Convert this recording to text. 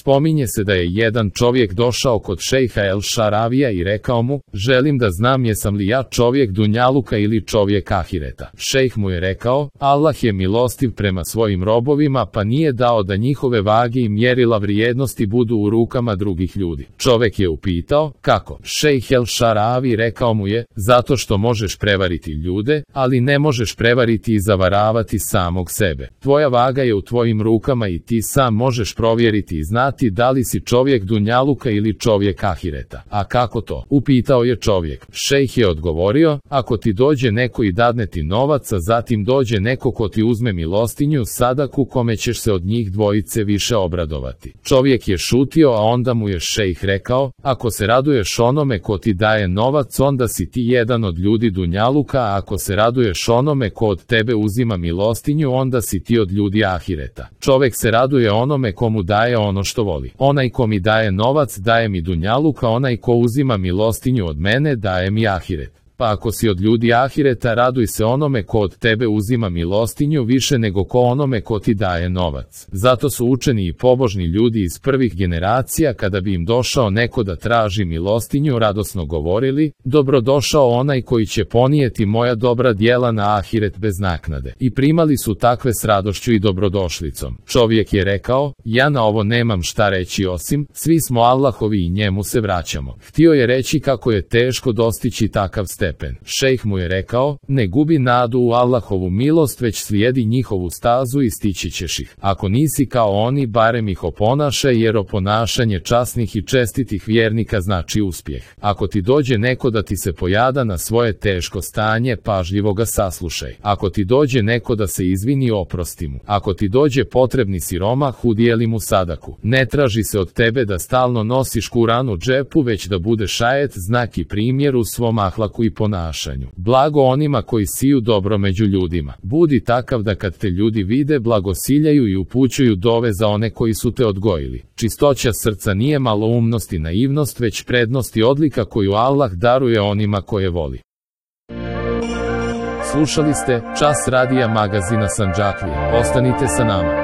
Spominje se da je jedan čovjek došao kod šejha El Šaravija i rekao mu, želim da znam jesam li ja čovjek dunjaluka ili čovjek ahireta. Šejh mu je rekao, Allah je milostiv prema svojim robovima pa nije dao da njihove vage i mjerila vrijednosti budu u rukama drugih ljudi. Čovjek je upitao, kako? Šejh El Šaravi rekao mu je, zato što možeš prevariti ljude, ali ne možeš prevariti i zavaravati samog sebe. Tvoja vaga je u tvojim rukama i ti sam možeš provjeriti i znati da li si čovjek dunjaluka ili čovjek ahireta. A kako to? Upitao je čovjek. Šejh je odgovorio, ako ti dođe neko i dadne ti novac, a zatim dođe neko ko ti uzme milostinju, sadaku, kome ćeš se od njih dvojice više obradovati. Čovjek je šutio, a onda mu je šejh rekao, ako se raduješ onome ko ti daje novac, onda si ti jedan od ljudi dunjaluka, a ako se raduješ onome ko od tebe uzima milostinju, onda si ti od ljudi ahireta. Čovjek se raduje onome komu daje ono što voli. Onaj ko mi daje novac daje mi dunjaluk, a onaj ko uzima milostinju od mene daje mi ahiret. Pa ako si od ljudi ahireta, raduj se onome ko od tebe uzima milostinju više nego ko onome ko ti daje novac. Zato su učeni i pobožni ljudi iz prvih generacija, kada bi im došao neko da traži milostinju, radosno govorili, dobrodošao onaj koji će ponijeti moja dobra djela na ahiret bez naknade. I primali su takve s radošću i dobrodošlicom. Čovjek je rekao, ja na ovo nemam šta reći osim, svi smo Allahovi i njemu se vraćamo. Htio je reći kako je teško dostići takav stepen. Šejh mu je rekao, ne gubi nadu u Allahovu milost, već slijedi njihovu stazu i stići ćeš ih. Ako nisi kao oni, barem ih oponašaj, jer oponašanje časnih i čestitih vjernika znači uspjeh. Ako ti dođe neko da ti se pojada na svoje teško stanje, pažljivo ga saslušaj. Ako ti dođe neko da se izvini, oprosti mu. Ako ti dođe potrebni siromah, udijeli mu sadaku. Ne traži se od tebe da stalno nosiš Kuran u džepu, već da budeš ajet, znak i primjer u svom ahlaku i ponašanju. Blago onima koji siju dobro među ljudima. Budi takav da kad te ljudi vide, blagosiljaju i upućuju dove za one koji su te odgojili. Čistoća srca nije maloumnost i naivnost, već prednost i odlika koju Allah daruje onima koje voli. Slušali ste Čas radija magazina Sandžaklije. Ostanite sa nama.